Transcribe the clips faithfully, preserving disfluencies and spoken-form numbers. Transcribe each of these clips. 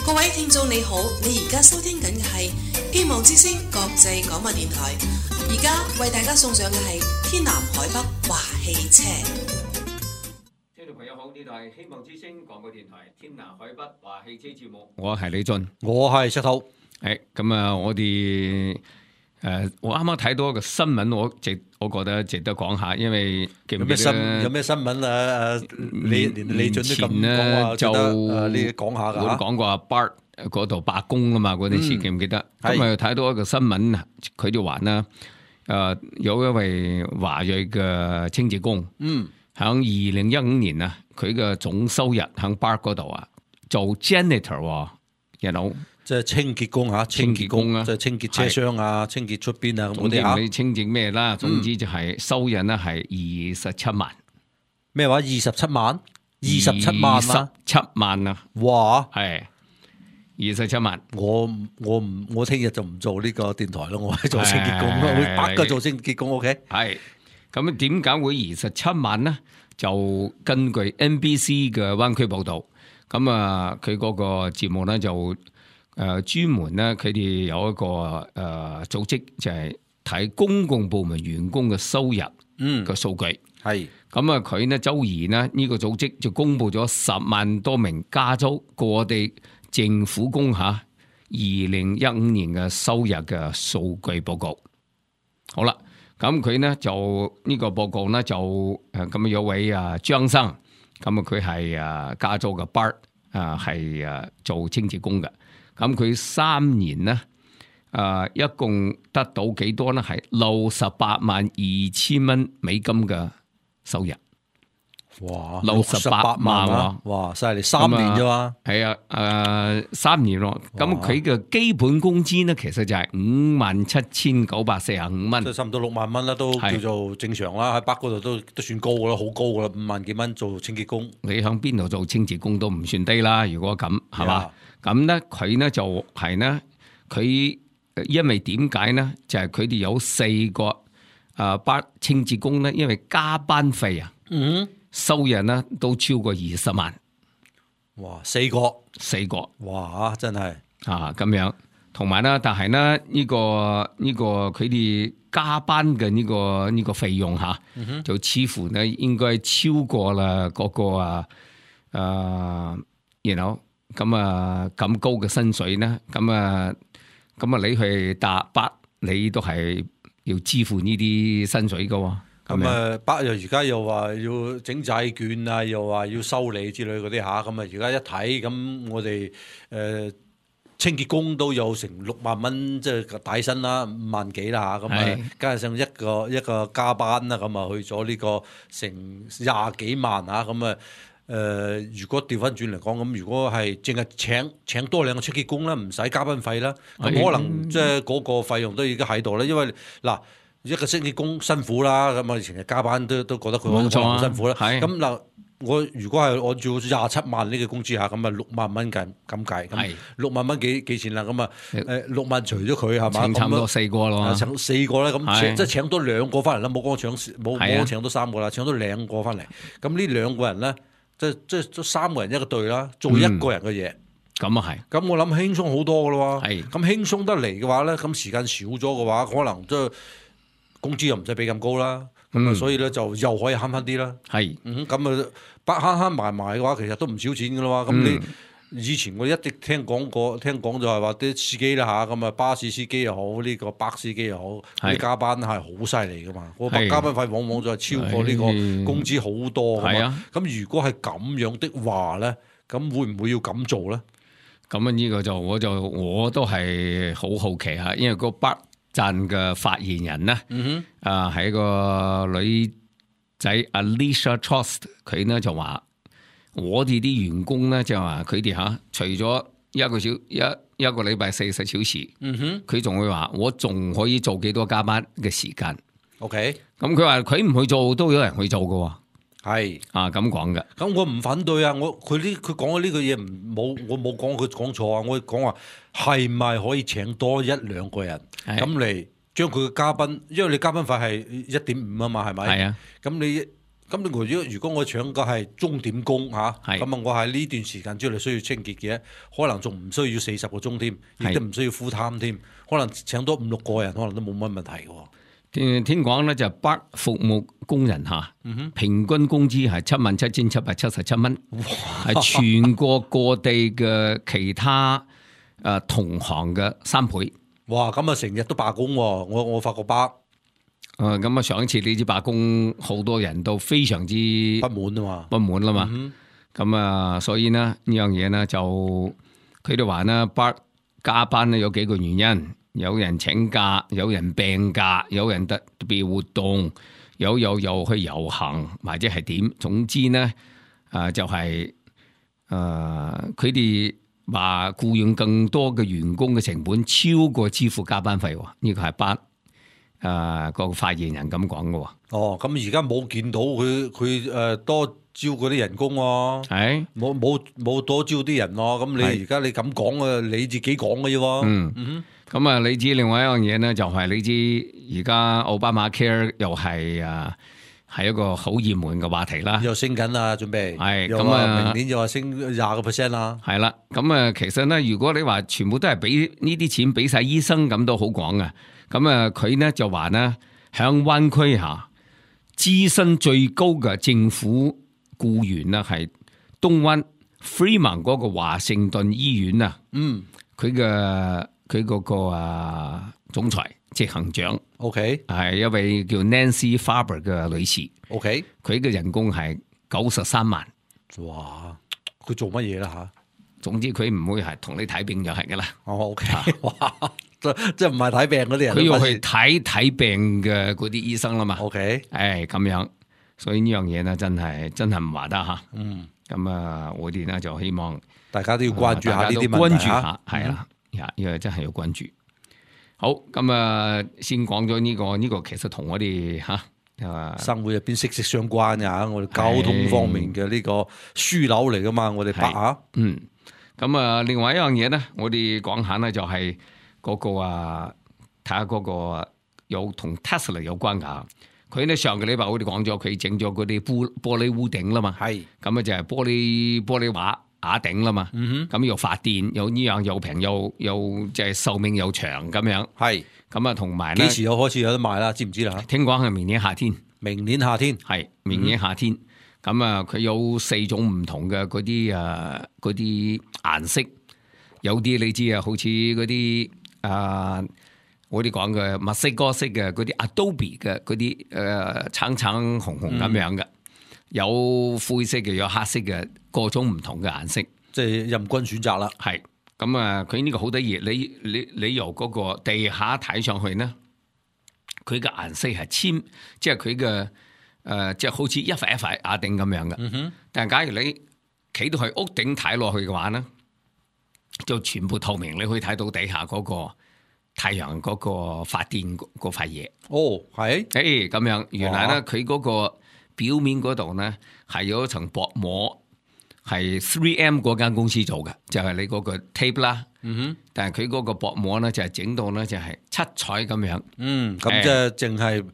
各位聽眾你好，你而家收聽緊嘅係希望之聲國際廣播電台，而家為大家送上嘅係天南海北話汽車。聽眾朋友好，呢度係希望之聲廣播電台天南海北話汽車節目，我係李俊，我係石頭。係咁啊！我哋誒、呃，我啱啱睇到一個新聞，我值我覺得值得講下，因為記唔記得有咩新有咩新聞啊？你連李俊都咁講話，就誒你講下㗎。我都講過阿 Bart 嗰度罷工啊嘛，嗰陣時記唔記得？咁啊睇到一個新聞，佢就話啦，誒、呃、有一位華裔嘅清潔工，嗯，喺二零一五年啊，佢嘅總收入喺 Bart 嗰度啊，做 janitor， you know。即係清潔工嚇，清潔工啊，即係清潔車廂啊，清潔出邊啊咁嗰啲嚇。你清潔咩啦？總之就係收入咧係二十七萬。咩話？二十七萬？二十七萬啊！二十七萬啊！哇！係二十七萬。我我唔我聽日就唔做呢個電台咯，我係做清潔工咯，會白嘅做清潔工 OK。係咁點解會二十七萬呢？就根據 N B C 嘅灣區報導，咁啊佢嗰個節目咧就。誒、呃、專門咧，佢哋有一個誒、呃、組織，就係、是、睇公共部門員工嘅收入嘅數據。係咁啊，佢呢周二呢，呢、這個組織就公布咗十萬多名加州各地政府工嚇二零一五年嘅收入嘅數據報告。好啦，咁佢呢就呢、這個報告呢就誒咁有位啊張生，咁啊佢係啊加州嘅 Bart 啊係啊做清潔工嘅。咁佢三年咧，誒、呃，一共得到幾多咧？係六十八萬二千蚊美金嘅收入。哇！六十八萬啊！哇！犀利，三年啫嘛。係啊，誒、呃，三年咯。咁佢嘅基本工資咧，其實就係五萬七千九百四十五蚊，即係差唔多六萬蚊啦，都叫做正常啦。喺北嗰度都都算高噶啦，好高噶啦，五萬幾蚊做清潔工。你喺邊度做清潔工都唔算低啦。如果咁係嘛？咁咧，佢咧就係咧，佢因為點解咧？就係佢哋有四個誒班清潔工咧，因為加班費啊，嗯，收入咧都超過二十萬。哇！四個，四個，哇！真係啊咁樣，同埋咧，但係咧呢個呢個佢哋加班嘅呢個呢個費用嚇，嗯、就似乎咧應該超過啦嗰個啊誒，然後。咁啊，咁高嘅薪水咧，咁啊，咁啊，你去搭巴，你都係要支付呢啲薪水噶。咁啊，巴又而家又話要整債券啊，又話要收利之類嗰啲吓，咁啊，而家一睇，咁我哋誒、呃、清潔工都有成六萬蚊，即係底薪啦，五萬幾啦吓，咁啊，加上一個一個加班啦，咁啊去咗呢個成廿幾萬吓，咁啊。誒、呃，如果調翻轉嚟講，咁如果係淨係請請多兩個清潔工啦，唔使加班費啦，咁可能即係嗰個費用都已經喺度啦。因為嗱，一個清潔工辛苦啦，咁啊，成日加班都都覺得佢好辛苦啦。咁嗱，我如果係按照廿七萬呢個工資下，咁啊六萬蚊計咁計，咁六萬蚊幾幾錢啦？咁啊誒六萬除咗佢係嘛？差唔多四個咯，請四個咧，咁即係請多兩個翻嚟啦，冇講請冇冇請多三個啦，請多兩個翻嚟。咁呢兩個人咧。即係即係三個人一個隊啦，做一個人嘅嘢，咁啊係。咁我諗輕鬆好多噶咯喎。係。咁輕鬆得嚟嘅話咧，咁時間少咗嘅話，可能即係工資又唔使俾咁高啦。咁啊、嗯，所以咧就又可以慳翻啲啦。係。嗯，咁啊，慳慳埋埋嘅話，其實都唔少錢噶啦喎。咁你。嗯以前我一直聽講過，聽講就係話啲司機啦嚇，咁啊巴士司機又好，呢、這個巴司機又好，啲加班係好犀利噶嘛。個加班費往往就係超過呢個工資好多噶嘛。咁如果係咁樣的話咧，咁會唔會要咁做咧？咁啊呢個就我就我都係好好奇嚇，因為個北鎮嘅發言人咧，嗯、哼啊係一個女仔 Alicia Trost， 佢呢就話。我哋啲員工咧就話佢哋吓，除咗一個小一一個禮拜四十小時，嗯哼，佢仲會話我仲可以做幾多加班嘅時間。OK，咁佢話佢唔去做都有人去做㗎，係啊咁講嘅。咁我唔反對啊，我佢呢佢講嘅呢個嘢唔冇我冇講佢講錯啊，我講話係咪可以請多一兩個人咁嚟將佢嘅加班，因為你加班費係一點五啊嘛，係咪？係啊，咁你。咁如果如果我搶嘅係鐘點工嚇，係咁啊我喺呢段時間之內需要清潔嘅，可能仲唔需要四十個鐘添，亦都唔需要 full time 添，可能請多五六個人，可能都冇乜問題嘅喎。聽聽講咧就北服務工人嚇，平均工資係七萬七千七百七十七蚊，係全國各地嘅其他誒同行嘅三倍。哇！咁啊成日都罷工喎，我我發覺北。誒咁啊！上一次呢支罷工，好多人都非常之不滿啊嘛，不滿啦嘛。咁、嗯、啊，所以呢呢樣嘢呢，就佢哋話呢，北加班呢有幾個原因，有人請假，有人病假，有人特別活動，有有又去遊行，或者係點。總之呢，誒、啊、就係誒佢哋話僱用更多嘅員工嘅成本超過支付加班費喎。呢、這個係北。誒、呃，個發言人咁講嘅喎。哦，咁而家冇見到佢佢誒多招嗰啲人工喎，係冇冇冇多招啲人咯。咁你而家你咁講啊，你自己講嘅啫喎。嗯嗯，咁啊，你知另外一樣嘢咧，就係、是、你知而家奧巴馬 care 又係誒係一個好熱門嘅話題啦，又升緊啦，準備係咁啊，明年又話升廿個 percent 啦。係啦，咁啊，其實咧，如果你話全部都係俾呢啲錢俾晒醫生，咁都好講啊。咁啊，佢呢就話呢，響灣區下資薪最高嘅政府僱員呢，係東灣 Fremont 嗰個華盛頓醫院啊。嗯，佢嘅佢嗰個啊總裁執行長 ，OK，係一位叫 Nancy Faber 嘅女士。OK，佢嘅人工係九十三萬。哇！佢做乜嘢啦吓？總之佢唔會係同你睇病就係噶啦。哦 ，OK，哇！即係唔係睇病嗰啲人，佢要去睇睇病嘅嗰啲醫生啦嘛。OK，誒咁樣，所以呢樣嘢呢，真係真係唔話得吓。嗯，咁啊，我哋呢就希望大家都要關注下呢啲問題，關注下係啦，因為真係要關注。好，咁啊，先講咗呢個呢個，其實同我哋吓啊生活入邊息息相關嘅，我哋交通方面嘅呢個樞紐嚟噶嘛，我哋北啊。嗯，咁啊，另外一樣嘢呢，我哋講下呢就係。嗰、那個啊，睇下嗰個有同 Tesla 有關噶。佢咧上個禮拜我哋講咗，佢整咗嗰啲玻玻璃屋頂啦嘛。係咁啊，就係玻璃玻璃瓦瓦頂啦嘛。嗯哼，咁又發電，又呢樣又平，又又即係壽命又長咁樣。係咁啊，同埋咧幾時有開始有得賣啦？知唔知啦？聽講係明年夏天。明年夏天係明年夏天。咁、嗯、啊，佢有四種唔同嘅嗰啲誒嗰啲顏色，有啲你知啊，好似嗰啲。啊！我哋講嘅墨西哥式嘅嗰啲 Adobe 嘅嗰啲誒橙橙紅紅咁樣嘅、嗯，有灰色嘅，有黑色嘅，各種唔同嘅顏色，即係任君選擇啦。係咁啊！佢呢個好得意，你你你由嗰個地下睇上去呢，佢嘅顏色係淺，即係佢嘅誒，即係好似一塊一塊瓦頂咁樣嘅、嗯哼。但係假如你企到去屋頂睇落去嘅話呢，就全部透明，你可以睇到底下嗰個太陽嗰個發電嗰塊嘢。哦，係，誒，咁樣，原來咧佢嗰個表面嗰度咧係有一層薄膜，係 three M 嗰間公司做嘅，就係、是、你嗰個 tape 啦。嗯哼，但係佢嗰個薄膜咧就係整到咧就係七彩咁樣。嗯，咁即係淨係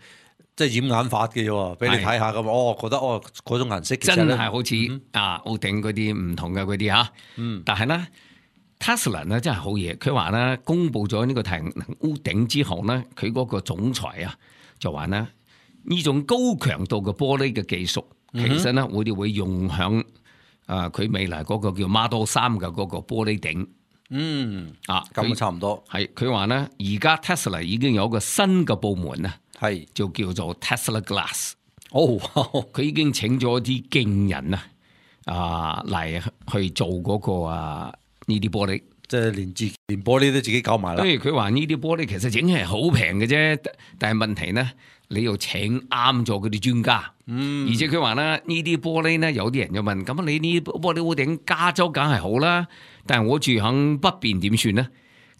即係掩眼法嘅啫，俾你睇下咁。哦，覺得哦嗰種顏色其實真係好似、嗯、啊屋頂嗰啲唔同嘅嗰啲吓。嗯，但係咧。Tesla 咧真係好嘢，佢話咧公布咗呢個太陽能屋頂之後咧，佢嗰個總裁啊就話咧呢種高強度嘅玻璃嘅技術，其實咧我哋會用響啊佢未來嗰個叫 Model 三嘅嗰個玻璃頂。嗯，啊咁啊差唔多。係佢話咧，而家 Tesla 已經有一個新嘅部門啊，係就叫做 Tesla Glass。哦，佢已經請咗啲勁人啊啊嚟去做嗰個啊。呢啲玻璃即係連自連玻璃都自己搞埋啦。所以佢話呢啲玻璃其實整係好平嘅啫，但係問題呢，你要請啱咗嗰啲專家。嗯，而且佢話咧呢啲玻璃呢，有啲人就問：咁你呢啲玻璃屋頂加州梗係好啦，但係我住響北邊點算呢？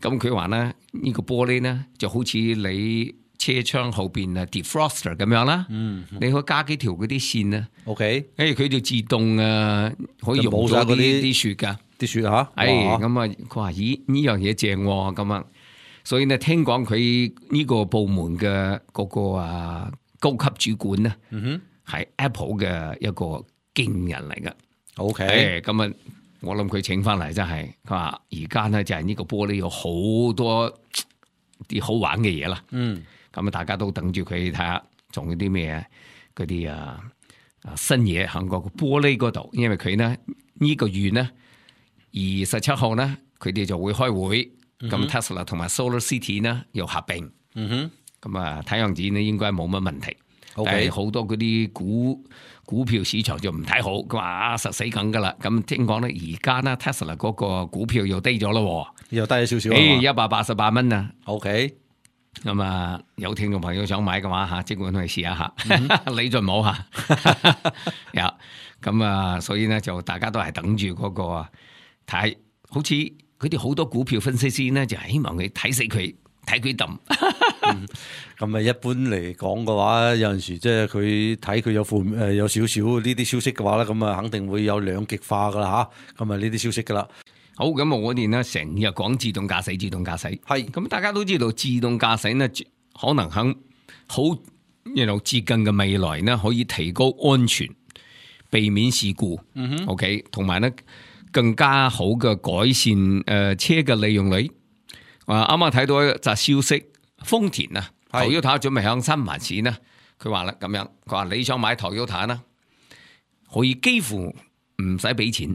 咁佢話咧呢、呢個玻璃呢，就好似你車窗後邊啊 defroster 咁樣啦。嗯，你可以加幾條嗰啲線啊。OK，誒佢就自動啊可以溶咗啲啲雪噶。啲雪吓，哎，咁啊，佢話咦呢樣嘢正咁啊，所以呢聽講佢呢個部門嘅嗰個啊高級主管呢，嗯哼，係 Apple 嘅一個勁人嚟嘅。OK，咁啊，我諗佢請翻嚟真係，佢話而家咧就係呢個玻璃有好多啲好玩嘅嘢啦。嗯，咁啊，大家都等住佢睇下，仲有啲咩嗰啲啊啊新嘢喺個玻璃嗰度，因為佢呢呢、這個月呢二十七號呢，佢哋就會開會，咁、嗯、Tesla 同埋 Solar City 呢又合併。嗯哼，咁啊睇樣子呢應該冇乜問題。Okay. 但係好多嗰啲股股票市場就唔睇好，佢話啊實死梗噶啦。咁聽講咧，而家呢 Tesla 嗰個股票又低咗咯，又低咗少少。誒，一百八十八蚊啊。OK，咁啊，有聽眾朋友想買嘅話吓，即管去試下下，嗯、你就唔好吓。有咁啊，所以呢，就大家都係等住嗰、那個睇，好似佢哋好多股票分析師呢，就係希望佢睇死佢。睇佢抌，咁啊一般嚟講嘅話，有陣時即係佢睇佢有負誒有少少呢啲消息嘅話咧，咁啊肯定會有兩極化噶啦吓，咁啊呢啲消息噶啦。好，咁我哋呢成日講自動駕駛，自動駕駛係，咁大家都知道自動駕駛呢可能喺好一路接近嘅未來呢，可以提高安全，避免事故。嗯哼 ，OK， 同埋呢更加好嘅改善誒、呃、車嘅利用率。啊！啱啱睇到一則消息，豐田啊，Toyota準備響新環線呢，佢話啦咁樣，佢話你想買 Toyota呢，可以幾乎唔使俾錢。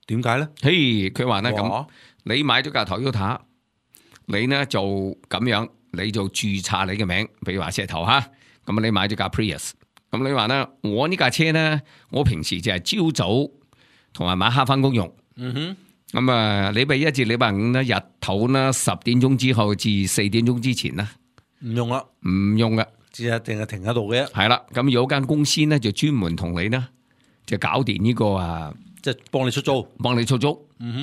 點解咧？嘿，佢話呢咁，你買咗架 Toyota，你呢就咁樣，你就註冊你嘅名，比如話石頭哈，咁你買咗架 Prius，咁你話呢，我呢架車呢，我平時就係朝早同埋晚黑翻工用。嗯哼。咁啊，禮拜一至禮拜五咧，日頭咧十點鐘之後至四點鐘之前咧，唔用啦，唔用嘅，只係定係停喺度嘅。係啦，咁有間公司咧就專門同你咧就搞掂呢個啊，即係幫你出租，幫你出租。嗯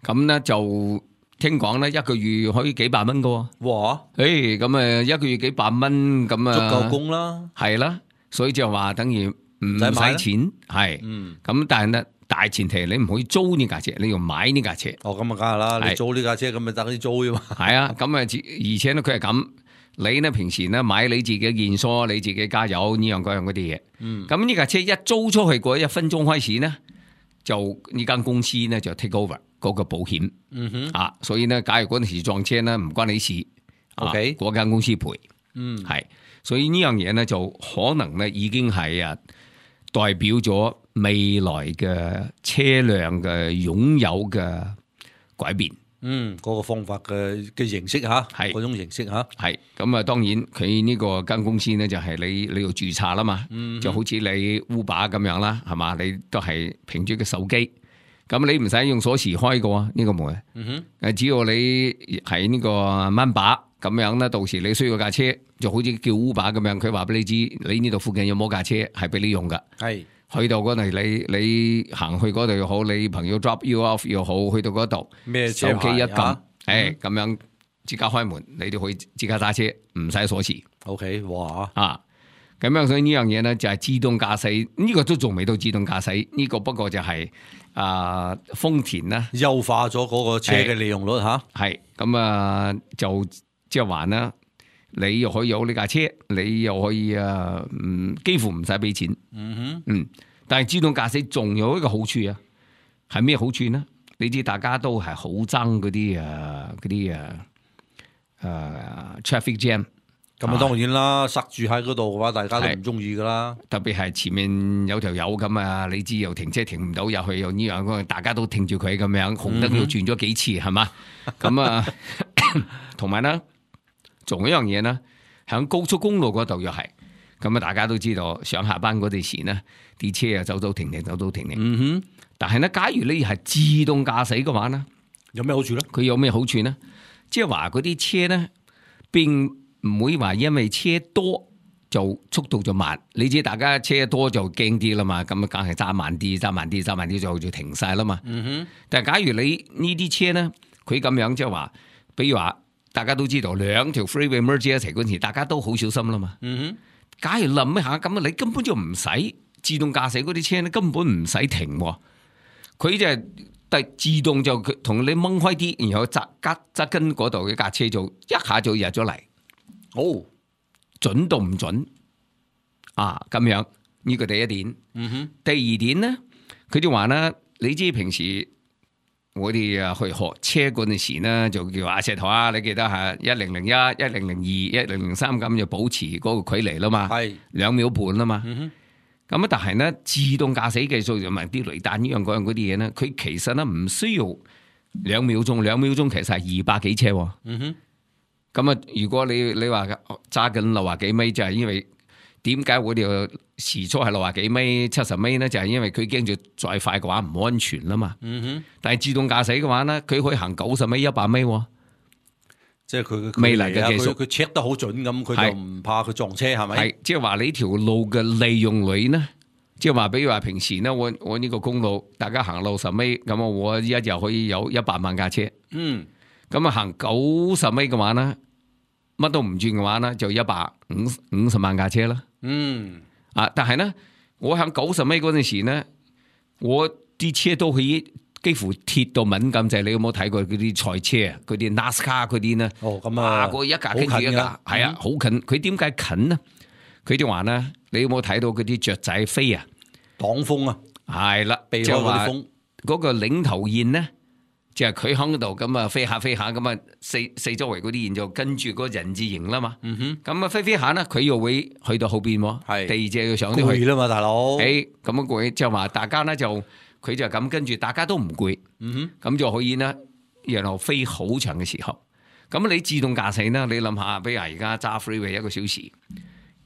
哼，咁咧就聽講咧一個月可以幾百蚊噶。哇！誒，咁啊一個月幾百蚊咁啊，足夠供啦。係啦，所以就話等於唔使錢，係。嗯。咁但係咧。大前提你唔可以租呢架車，你要買呢架車。哦，咁啊，梗係啦，你租呢架車咁咪等於租啫嘛。係啊，咁啊，而且咧佢係咁，你呢平時咧買你自己嘅現梳，你自己加油呢樣嗰樣嗰啲嘢。嗯。咁呢架車一租出去嗰一分鐘開始呢，就呢間公司呢就 take over 嗰個保險。嗯哼。啊，所以呢，假如嗰陣時撞車呢，唔關你事。OK。嗰間公司賠。嗯。係，所以呢樣嘢呢，就可能呢已經係啊代表咗未來嘅車輛嘅擁有嘅改變，嗯，嗰、那個方法嘅嘅形式吓，係嗰種形式吓，係咁啊。當然佢呢個間公司咧就係你你要註冊啦嘛，嗯、就好似你 Uber 咁樣啦，係嘛？你都係憑住個手機，咁你唔使用鎖匙開嘅呢、這個門，嗯哼，誒，只要你係呢個掹把咁樣咧，到時你需要架車，就好似叫 Uber 咁樣，佢話俾你知，你呢度附近有冇架車係俾你用噶，係。去到嗰度，你你行去嗰度又好，你朋友 drop you off 又好，去到嗰度，手機一撳，誒、啊，咁、欸、樣即刻開門，你都可以即刻揸車，唔使鎖匙。OK， 哇，啊，咁樣所以呢樣嘢咧就係自動駕駛，呢、這個都仲未到自動駕駛，呢、這個不過就係、是、啊豐田啦，優化咗嗰個車嘅利用率吓，係咁啊就即係話啦。你又可以有呢架車，你又可以啊，嗯，幾乎唔使俾錢。嗯哼，嗯，但係自動駕駛仲有一個好處啊，係咩好處呢？你知大家都係好憎嗰啲啊，嗰啲啊，誒，traffic jam。咁啊，當然啦，塞住喺嗰度嘅話，大家都唔中意噶啦。特別係前面有條友咁啊，你知又停車停唔到入去，又呢樣，大家都聽住佢咁樣，紅燈要轉咗幾次係嘛？咁啊，同埋呢。仲有一樣嘢呢，喺高速公路嗰度又係，咁啊大家都知道上下班嗰陣時呢，啲車啊走走停停，走走停停。嗯哼。但係呢，假如你係自動駕駛嘅話呢，有咩好處呢？佢有咩好處呢？即係話嗰啲車呢，並唔會話因為車多就速度就慢。你知大家車多就驚啲啦嘛，咁啊梗係揸慢啲，揸慢啲，揸慢啲就就停晒啦嘛。嗯哼。但係假如你呢啲車呢，佢咁樣即係話，比如話。大家都知道兩條 freeway merge 一齊嗰陣時，大家都好小心啦嘛。嗯哼，假如諗一下咁啊，你根本就唔使自動駕駛嗰啲車咧，根本唔使停，佢就係但自動就同你掹開啲，然後側側側跟嗰度嘅架車就一下就入咗嚟。哦，準到唔準啊？咁樣呢個第一點。嗯哼，第二點咧，佢就話咧，你知平時我哋啊去學車嗰陣時咧，就叫阿石頭啊，你記得係一零零一、一零零二、一零零三咁就保持嗰個距離啦嘛，係兩秒半啦嘛。嗯哼，咁啊，但係咧自動駕駛技術同埋啲雷達呢樣嗰樣嗰啲嘢咧，佢其實咧唔需要兩秒鐘，兩秒鐘其實係二百幾車喎。嗯哼，咁啊，如果你你話揸緊六廿幾米，就係因為點解我哋時速係六廿幾米、七十米咧？就係因為佢驚住再快嘅話唔安全啦嘛。嗯哼，但係自動駕駛嘅話咧，佢可以行九十米、一百米喎。即係佢嘅未來嘅技術佢佢 check 得好準咁，佢就唔怕佢撞車係咪？係，即係話你條路嘅利用率呢？即係話，比如話平時咧，我我呢個公路大家行六十米，咁我一日可以有一百萬架車。嗯，咁啊行九十米嘅話咧，乜都唔轉嘅話咧，就一百五五十萬架車啦。嗯，啊，但係咧，我行九十米嗰陣時咧，我啲車都可以幾乎貼到敏感滯。你有冇睇過嗰啲賽車啊？嗰啲 NASCAR 嗰啲咧？哦，咁啊，嗰一架跟住一架，係啊，好近。佢點解近呢？佢就話咧，你有冇睇到嗰啲雀仔飛啊？擋風啊，係啦，避開嗰啲風。嗰個領頭雁咧，就係佢響度咁啊飛下飛下咁啊，四四周圍嗰啲雁就跟住個人字形啦嘛。嗯哼，咁啊飛飛下咧，佢又會去到後邊喎。係第二隻要上啲去攰啦嘛，大佬。誒，咁樣攰就話大家咧就佢就咁跟住，大家都唔攰。嗯哼，咁就可以咧，然後飛好長嘅時候。咁你自動駕駛呢？你諗下，比如而家揸 freeway 一個小時。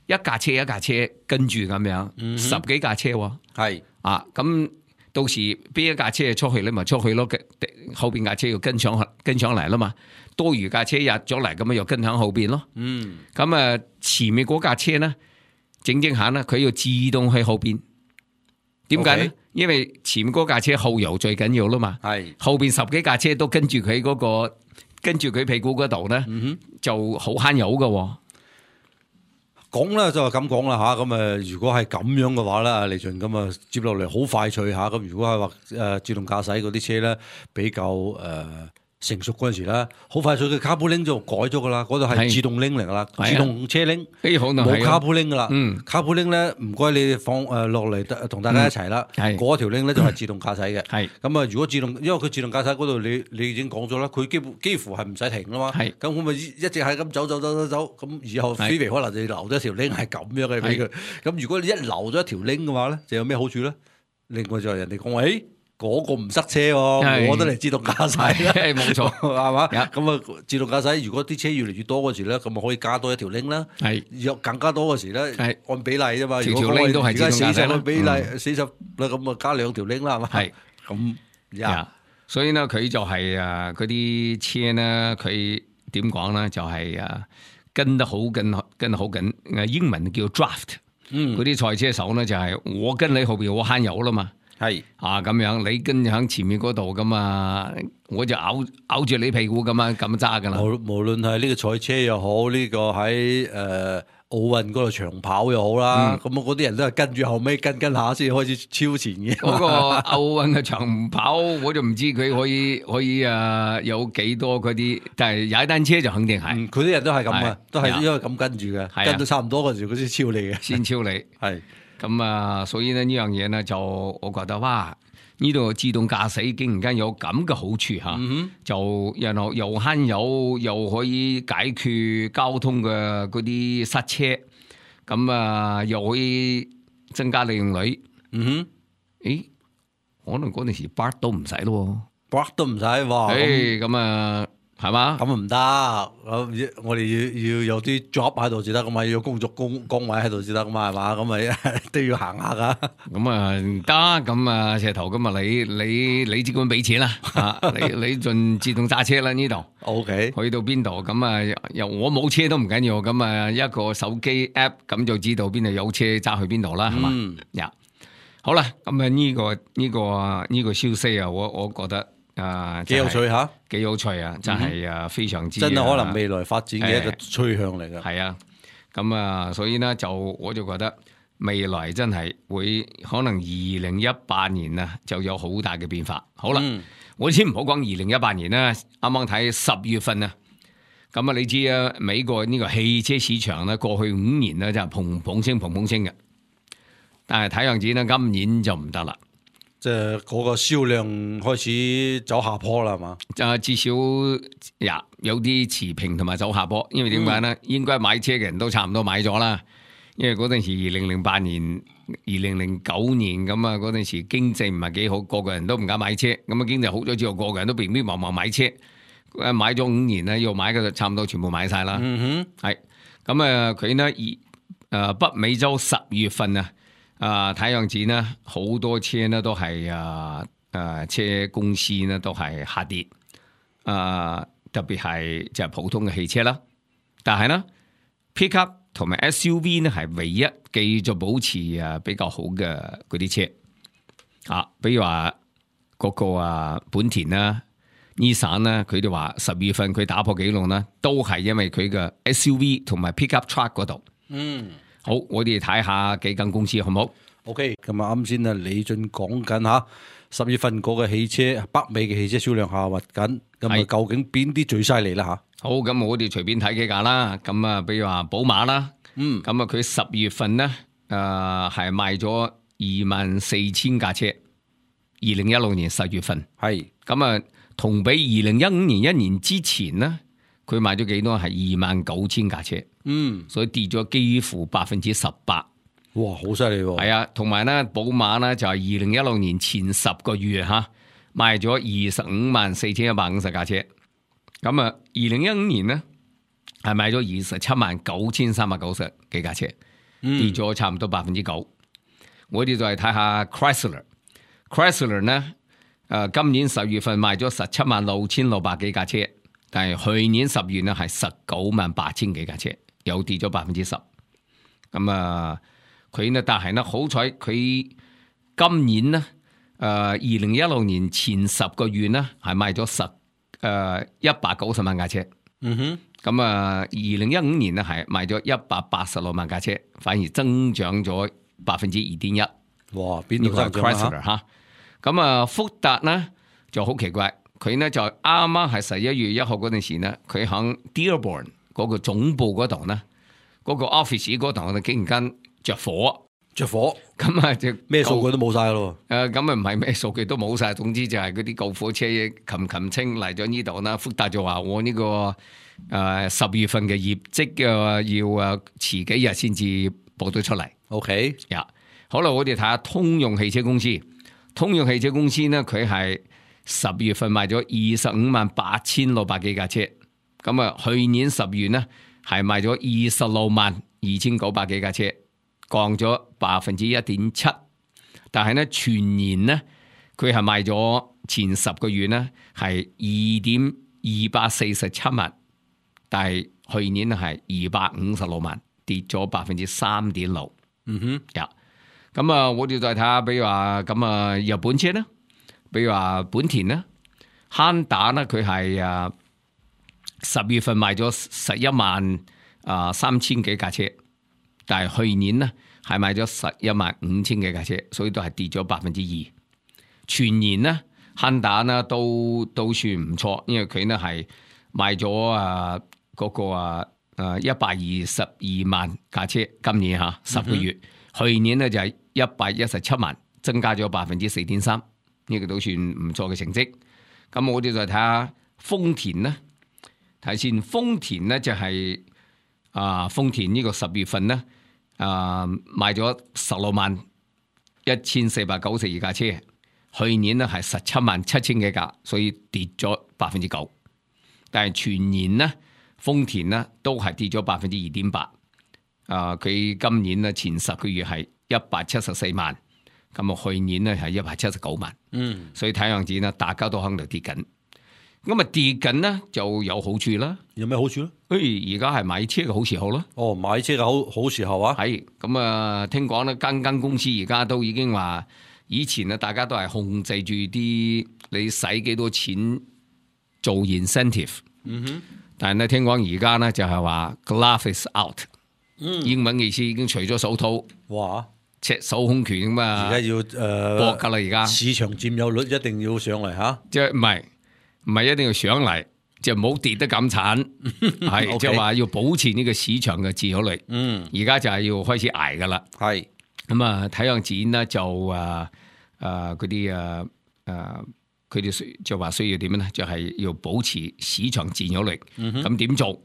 一架車一架車跟住咁樣，嗯、十幾架車喎，係啊，咁到時邊一架車出去你咪出去咯，後邊架車要跟上跟上嚟啦嘛，多餘架車入咗嚟咁啊又跟響後邊咯，嗯，咁啊前面嗰架車咧整整下咧，佢要自動去後邊，點解咧？Okay. 因為前面嗰架車後油最緊要啦嘛，係後邊十幾架車都跟住佢嗰個跟住佢屁股嗰度咧，嗯、就好慳油噶。講咧就係咁講啦嚇，咁誒如果係咁樣嘅話咧，李俊咁啊接落嚟好快脆嚇，咁如果係話誒自動駕駛嗰啲車咧比較誒、呃、成熟嗰陣時咧，好快脆嘅卡布拎就改咗噶啦，嗰度係自動拎嚟噶啦，自動車拎，冇卡布拎噶啦，嗯，卡布拎咧唔該你放誒落嚟同大家一齊啦，嗰、嗯、條拎咧就係自動駕駛嘅，係咁啊如果自動，因為佢自動駕駛嗰度你你已經講咗啦，佢基本幾乎係唔使停噶嘛，係咁我咪一直係咁走走走走走，咁以後飛飛可能就留咗條拎係咁樣嘅俾佢，咁如果你一留咗一條拎嘅話咧，就有咩好處咧？另外就係人哋講話，誒。嗰個唔塞車喎，我都嚟自動駕駛啦，冇錯，係嘛？咁啊，自動駕駛如果啲車越嚟越多嗰時咧，咁啊可以加多一條 link 啦。係，有更加多嗰時咧，按比例啫嘛。如果我哋而家四十個比例，四十啦，咁啊加兩條 link 啦，係嘛？係，咁呀，所以咧佢就係啊嗰啲車咧，佢點講咧？就係啊跟得好緊，跟得好緊。英文叫 draft，嗯，嗰啲賽車手咧就係我跟你後邊，我慳油啦嘛。係啊，咁樣你跟喺前面嗰度咁啊，我就咬咬住你屁股咁啊，咁揸噶啦。無無論係呢個賽車又好，呢、這個喺誒奧運嗰度長跑又好啦，咁啊嗰啲人都係跟住後尾跟跟下先開始超前嘅。嗰個奧運嘅長跑，我就唔知佢可以可以啊有幾多嗰啲，但係踩單車就肯定係。佢啲、嗯、人都係咁啊，都係因為咁跟住嘅，跟到差唔多嗰時佢先超你嘅，先超你係。咁啊，所以咧呢樣嘢咧就我覺得哇，呢度自動駕駛竟然間有咁嘅好處吓，嗯、就然後又慳油，又可以解決交通嘅嗰啲塞車，咁啊又可以增加利用率。嗯哼，誒，可能嗰陣時 bar 都唔使咯 ，bar 都唔使哇。誒，咁啊。係嘛？咁唔得，我哋要要有啲 job 喺度先得噶嘛，要有工作工崗位喺度先得噶嘛，係嘛？咁咪都要行下噶。咁啊唔得，咁啊石頭咁啊你你你只管俾錢啦，啊你你盡自動揸車啦呢度。O K， 去到邊度咁啊？又我冇車都唔緊要，咁啊一個手機 app 咁就知道邊度有車揸去邊度啦，係嘛？嗯，呀，好啦，咁啊呢個呢個呢個消息啊，我我覺得。啊，幾有趣吓，幾有趣啊！真係啊，非常之真係可能未來發展嘅一個趨向嚟㗎。係啊，咁啊，所以呢，就我就覺得未來真係會可能二零一八年啊就有好大嘅變化。好啦，嗯、我先唔好講二零一八年啦，啱啱睇十月份啊，咁啊你知啊，美國呢個汽車市場咧過去五年咧就係砰砰聲砰砰聲嘅，但係睇樣子咧，今年就唔得啦。即係嗰個銷量開始走下坡啦，係嘛？就至少呀有啲持平同埋走下坡，因為點解咧？嗯、應該買車嘅人都差唔多買咗啦。因為嗰陣時二零零八年、二零零九年咁啊，嗰陣時經濟唔係幾好，個個人都唔敢買車。咁啊，經濟好咗之後，個個人都平平忙忙買車。誒，買咗五年咧，要買嘅就差唔多全部買晒啦。嗯哼，係咁啊，佢呢二誒北美洲十月份啊。啊，睇樣子呢，好多車呢都係啊啊車公司呢都係下跌，啊特別係就係普通嘅汽車啦。但係呢 pickup 同埋 S U V 呢係唯一繼續保持啊比較好嘅嗰啲車。啊，比如話嗰個啊本田啦、Nissan 啦，佢哋話十月份佢打破紀錄啦，都係因為佢嘅 S U V 同埋 pickup truck 嗰度。嗯。好，我哋睇下幾間公司好唔好 ？OK，咁啊，啱先啊，李俊講緊吓十月份嗰個汽車，北美嘅汽車銷量下滑緊，咁啊，究竟邊啲最犀利啦吓？好，咁我哋隨便睇幾架啦。咁啊，比如話寶馬啦，嗯，咁啊，佢十月份咧，誒、呃、係賣咗二萬四千架車，二零一六年十月份係，咁啊，同比二零一五年一年之前咧，佢賣咗幾多？係二萬九千架車。嗯，所以跌咗幾乎百分之十八，哇，好犀利喎！係啊，同埋咧，寶馬咧就係二零一六年前十個月吓賣咗二十五萬四千一百五十架車，咁啊，二零一五年咧係賣咗二十七萬九千三百九十幾架車，跌咗差唔多百分之九。我哋再睇下 Chrysler，Chrysler 咧誒，今年十月份賣咗十七萬六千六百幾架車，但係去年十月咧係十九萬八千幾架車。又跌咗百分之十，咁啊，佢呢？但係呢，好彩佢今年呢，誒，二零一六年前十個月呢，係賣咗十誒一百九十萬架車。嗯哼，咁啊，二零一五年呢，係賣咗一百八十六萬架車，反而增長咗百分之二點一。哇，邊度增長啊？吓，咁啊，福特呢就好奇怪，佢呢就啱啱係十一月一號嗰陣時呢，佢響 Dearborn。嗰個總部嗰度呢，嗰、嗰個 office 嗰度咧，竟然間着火，着火，咁啊就咩數據都冇晒咯。誒，咁啊唔係咩數據都冇晒，總之就係嗰啲救火車擒擒青嚟咗呢度啦。福特就話我呢、呢個誒十、呃、月份嘅業績嘅要誒遲幾日先至報到出嚟。OK，呀，好啦，我哋睇下通用汽車公司。通用汽車公司呢，佢係十月份賣咗二十五萬八千六百幾架車。咁啊，去年十月呢係賣咗二十六萬二千九百幾架車，降咗百分之一點七。但係呢全年呢，佢係賣咗前十個月呢係二點二百四十七萬，但係去年係二百五十六萬，跌咗百分之三點六。嗯哼，呀，咁啊，我哋再睇下，比如話咁啊，日本車呢，比如話本田呢，漢達呢，佢係啊。十月份賣咗十一萬啊三千幾架車，但係去年呢係賣咗十一萬五千幾架車，所以都係跌咗百分之二。全年呢，漢達呢都都算唔錯，因為佢呢係賣咗啊嗰個啊誒一百二十二萬架車，今年吓十個月，嗯、去年呢就係一百一十七萬，增加咗百分之四點三，呢個都算唔錯嘅成績。咁我哋再睇下豐田呢。睇先，豐田咧就係、是、啊，豐田呢個十月份咧啊賣咗十六萬一千四百九十二架車，去年咧係十七萬七千幾架，所以跌咗百分之九。但係全年咧，豐田咧都係跌咗百分之二點八。啊，佢今年咧前十個月係一百七十四萬，咁啊去年咧係一百七十九萬。嗯，所以睇樣子咧，大家都喺度跌緊。咁啊跌緊呢就有好處啦。有咩好處咧？誒，而家係買車嘅好時候咯。哦，買車嘅好好時候啊。係咁啊，聽講咧間間公司而家都已經話，以前啊大家都係控制住啲你使幾多錢做 incentive。嗯哼。但係咧聽講而家咧就係話 glove is out。嗯。英文意思已經除咗手套。哇！赤手空拳咁啊。而家要誒搏噶啦，而家市場佔有率一定要上嚟吓。即係唔係？唔係一定要上嚟，就唔好跌得咁慘，係即係話要保持呢個市場嘅自由率。嗯，而家就係要開始捱噶啦。係咁啊，體養展咧就誒誒嗰啲誒誒，佢哋需就話需要點樣咧？就係、是、要保持市場佔有率。咁點、嗯、做？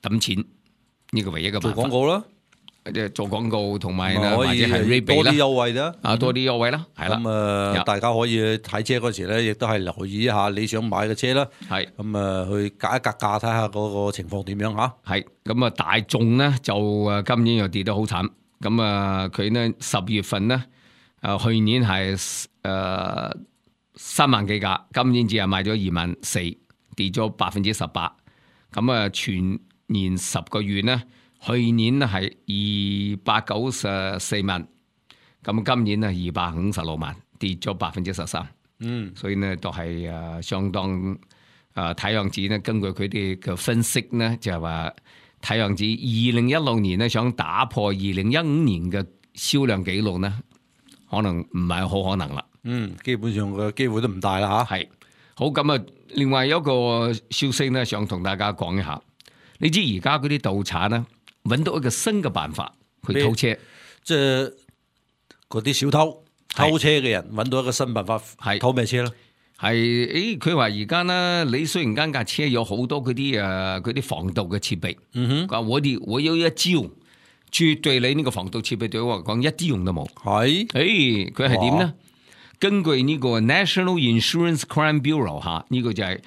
揼錢呢、這個唯一嘅辦法。做廣告啦。即係做廣告同埋或者係 rebate 多啲優惠啦，啊多啲優惠啦，係啦。咁啊，大家可以睇車嗰時咧，亦都係留意一下你想買嘅車啦。係咁啊，去格一格價睇下嗰個情況點樣嚇。係咁啊，大眾咧就誒今年又跌得好慘。咁啊，佢呢十月份咧，誒去年係誒三萬幾架，今年只係賣咗二萬四，跌咗百分之十八。咁啊，全年十個月咧。去年係二百九十四萬，咁今年係二百五十六萬，跌咗百分之十三。嗯，所以呢都係誒相當誒睇樣子呢，根據佢哋嘅分析呢，就係話睇樣子二零一六年呢想打破二零一五年嘅銷量紀錄呢，可能唔係好可能啦。嗯，基本上嘅機會都唔大啦吓。係好咁啊，另外有一個消息呢，想同大家講一下。你知而家嗰啲盜賊呢？揾到一個新嘅辦法去偷車，即係嗰啲小偷偷車嘅人揾到一個新辦法，係偷咩車咧？係誒，佢話而家呢，你雖然間架車有好多嗰啲誒嗰啲防盜嘅設備，嗯哼，我哋我有一招，絕對你呢個防盜設備對我嚟講一啲用都冇。係，誒，佢係點呢？根據呢個 National Insurance Crime Bureau 吓，呢個就係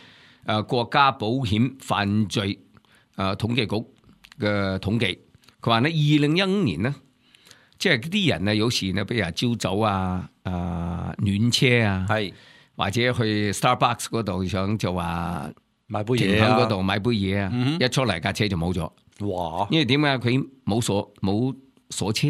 誒國家保險犯罪誒統計局嘅統計，佢話咧二零一五年呢，即係啲人啊，有時呢，比如朝早啊、誒、呃、暖車啊，係或者去 Starbucks 嗰度想就話買杯嘢啊，嗰度買杯嘢啊，嗯、一出嚟架車就冇咗。哇！因為點解佢冇鎖冇鎖車，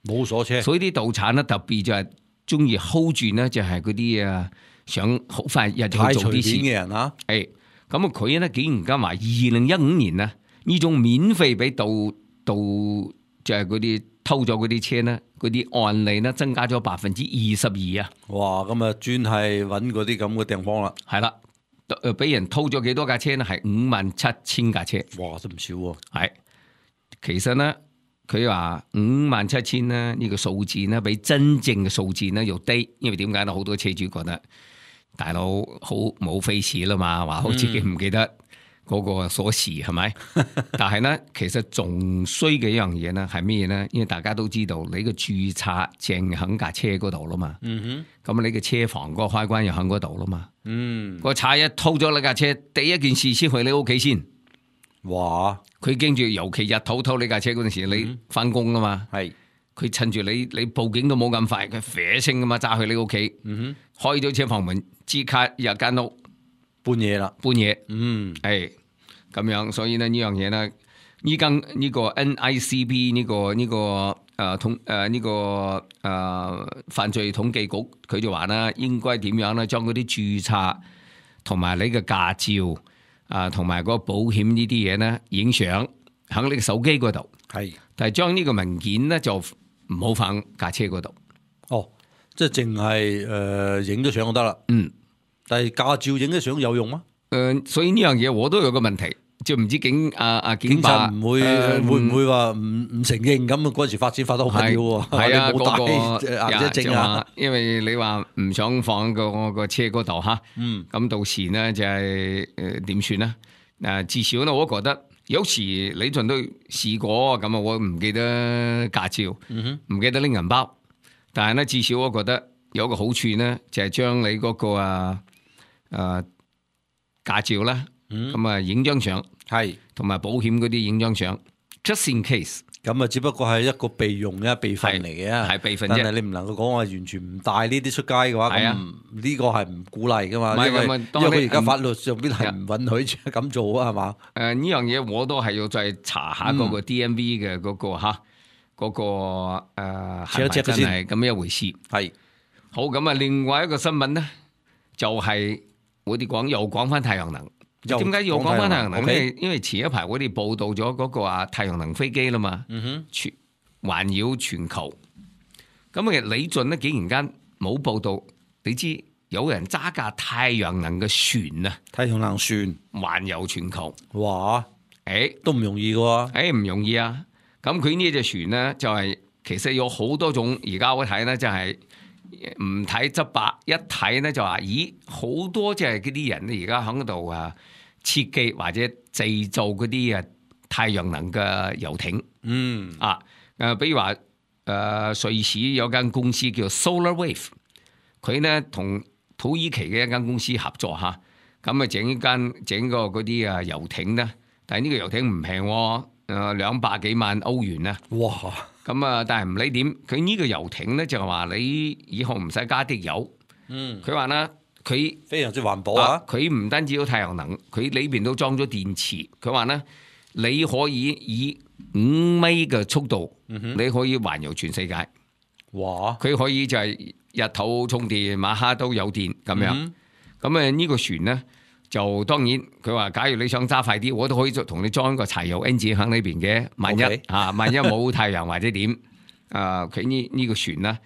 冇鎖車，所以啲盜賊咧特別就係中意 hold 住呢，就係嗰啲啊想好快日就做啲事嘅人啊。誒，咁啊佢咧竟然間話二零一五年呢。呢種免費俾盜盜就係嗰啲偷咗嗰啲車咧，嗰啲案例咧增加咗百分之二十二啊！哇！咁啊專係揾嗰啲咁嘅地方啦。係啦，誒俾人偷咗幾多架車咧？係五萬七千架車。哇！都唔少喎。係，其實咧佢話五萬七千咧呢個數字咧比真正嘅數字咧又低，因為點解咧？好多車主覺得大佬好冇 face 啦嘛，話好自己唔記得。嗯嗰個鎖匙係咪？但係咧，其實仲衰嘅一樣嘢咧係咩嘢咧？因為大家都知道你個註冊證喺架車嗰度啦嘛。嗯哼。咁你嘅車房嗰個開關又喺嗰度啦嘛。嗯。個賊一偷咗你架車，第一件事先去你屋企先。哇！佢驚住，尤其日頭偷你架車嗰陣時，你翻工啊嘛。係、嗯。佢趁住你你報警都冇咁快，佢啡聲啊嘛，揸去你屋企。嗯哼。開咗車房門，即刻入間屋。搬嘢啦，搬嘢，嗯，係咁樣，所以呢呢樣嘢呢，依家呢個 N I C B 呢、這個呢、這個誒統誒呢個誒、呃、犯罪統計局，佢就話啦，應該點樣咧，將嗰啲註冊同埋你嘅駕照啊，同埋嗰個保險呢啲嘢呢，影相喺你嘅手機嗰度，係，但係將呢個文件呢，就唔好放架車嗰度。哦，即係淨係誒影咗相就得啦。嗯。但係駕照影啲相有用嗎？誒、呃，所以呢樣嘢我都有個問題，就唔知警啊啊警察唔會、呃、會唔會話唔唔承認咁啊？嗰時發展發得好緊要喎，係啊，冇帶顏色證啊，因為你話唔想放個個車嗰度吓，嗯，咁到時呢就係誒點算呢？誒，至少呢，我覺得有時李俊都試過咁啊，我唔記得駕照，唔、嗯、哼記得拎銀包，但係呢，至少我覺得有個好處呢，就係、是、將你嗰、那個啊。誒、呃，駕照啦，咁啊影張相，係同埋保險嗰啲影張相 ，just in case，咁啊只不過係一個備用嘅備份嚟嘅，係備份啫。但係你唔能夠講話完全唔帶呢啲出街嘅話，咁呢個係唔鼓勵噶嘛，因為因為佢而家法律上邊係唔允許咁做啊，係嘛？誒呢樣嘢我都係要再查下嗰個 D M V 嘅嗰、那個吓，嗰、嗯那個誒係咪真係咁一回事？係好咁啊！另外一個新聞咧，就係、是。我哋講又講翻太陽能，點解要講翻太陽能咧？因為前一排我哋報道咗嗰個啊太陽能飛機啦嘛，嗯哼，全環繞全球。咁啊李俊呢竟然間冇報道，你知有人揸架太陽能嘅船啊，太陽能船環遊全球，哇！誒、欸，都唔容易嘅喎，誒唔容易啊！咁佢呢隻船呢，就係、是、其實有好多種。而家我睇咧就係唔睇執白，一睇咧就話，咦，好多即係嗰啲人咧而家喺度啊設計或者製造嗰啲啊太陽能嘅遊艇。嗯啊誒，比如話誒、呃、瑞士有間公司叫 Solar Wave， 佢咧同土耳其嘅一間公司合作嚇，咁啊整間整個嗰啲啊遊艇咧，但係呢個遊艇唔平喎，誒兩百幾萬歐元啊！哇！咁啊，但係唔理點，佢呢個遊艇咧就係話你以後唔使加啲油。嗯，佢話咧，佢非常之環保啊！佢唔單止有太陽能，佢裏邊都裝咗電池。佢話咧，你可以以五米嘅速度，嗯、你可以環遊全世界。哇！佢可以就係日頭充電，晚黑都有電咁樣。咁啊呢個船咧，就當然佢話，假如你想揸快啲，我都可以同你裝個柴油 engine 喺呢邊嘅。萬一 Okay. 啊，萬一冇太陽或者點啊，佢呢呢個船咧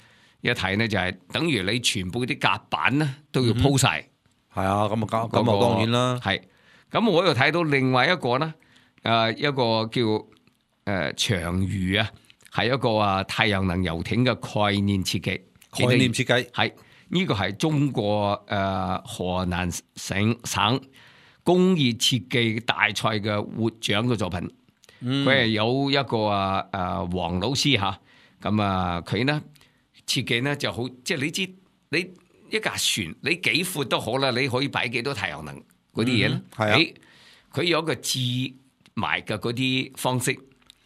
一睇咧就係等於你全部啲甲板咧都要鋪晒。係啊，咁啊咁咁啊當然啦。係咁，我又睇到另外一個咧，誒一個叫誒、呃、長魚啊，係一個啊太陽能遊艇嘅概念設計。概念設計係呢個係中國誒、呃、河南省省工業設計大賽嘅獲獎嘅作品。佢係、嗯、有一個啊誒黃老師嚇，咁啊佢呢設計呢就好，即係你知你一架船你幾闊都好啦，你可以擺幾多太陽能嗰啲嘢咧？係、嗯、啊，佢有一個接埋嘅嗰啲方式，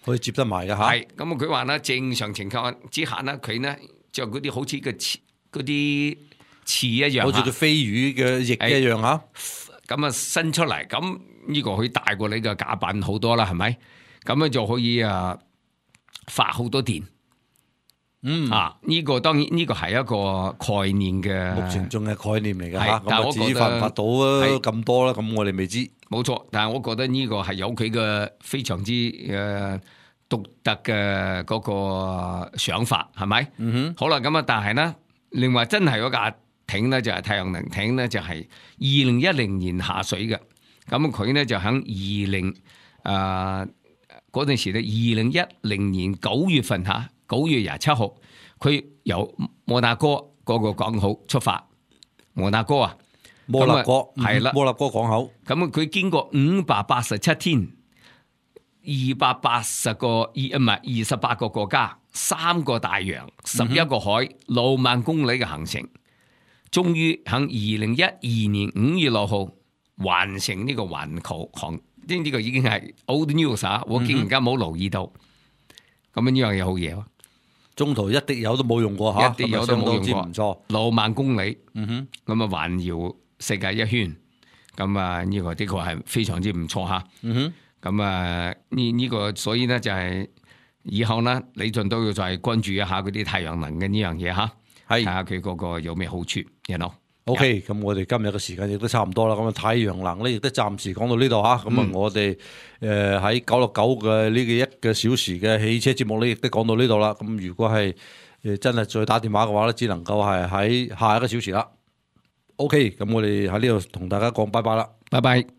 可以接得埋嘅嚇。係咁啊！佢話咧正常情況之下呢，佢呢就嗰啲好似個翅嗰啲翅一樣，好似個飛魚嘅翼一樣嚇。咁啊伸出嚟，咁呢個可以大過你嘅甲板好多啦，係咪？咁樣就可以啊發好多電。嗯啊，呢、這個當然呢個係一個概念嘅，目前仲係概念嚟嘅嚇。但係我覺得至於發唔發到啊咁多啦，咁我哋未知。冇錯，但係我覺得呢個係有佢嘅非常之誒獨特嘅嗰個想法，係咪？嗯哼。好啦，咁啊，但係咧，另外真係嗰架艇咧就係太陽能艇咧，就係二零一零年下水嘅。咁佢咧就喺二零誒嗰陣時咧，二零一零年九月份嚇。九月廿七號，佢由摩納哥嗰個港口出發。摩納哥啊，摩納哥係啦，摩納哥港口。咁佢經過五百八十七天，二百八十個二唔係二十八個國家，三個大洋，十一個海，六萬公里嘅行程，終於喺二零一二年五月六號完成呢個環球航。呢呢個已經係 old news 啊！我竟然間冇留意到，咁樣呢樣嘢好嘢喎。中途一滴油都冇用過嚇，一滴油都冇用過，唔錯，六萬公里，嗯哼，咁啊環繞世界一圈，咁啊呢個的確係非常之唔錯嚇，嗯哼，咁啊呢呢個所以咧就係以後咧李俊都要再關注一下嗰啲太陽能嘅呢樣嘢嚇，係睇下佢嗰個有咩好處，you know。OK，咁我哋今日嘅時間亦都差唔多啦。咁啊，太陽能咧亦都暫時講到呢度嚇。咁啊、嗯，我哋誒喺九六九嘅呢個一個小時嘅汽車節目咧，亦都講到呢度啦。咁如果係誒真係再打電話嘅話咧，只能夠係喺下一個小時啦。OK，咁我哋喺呢度同大家講拜拜啦，拜拜。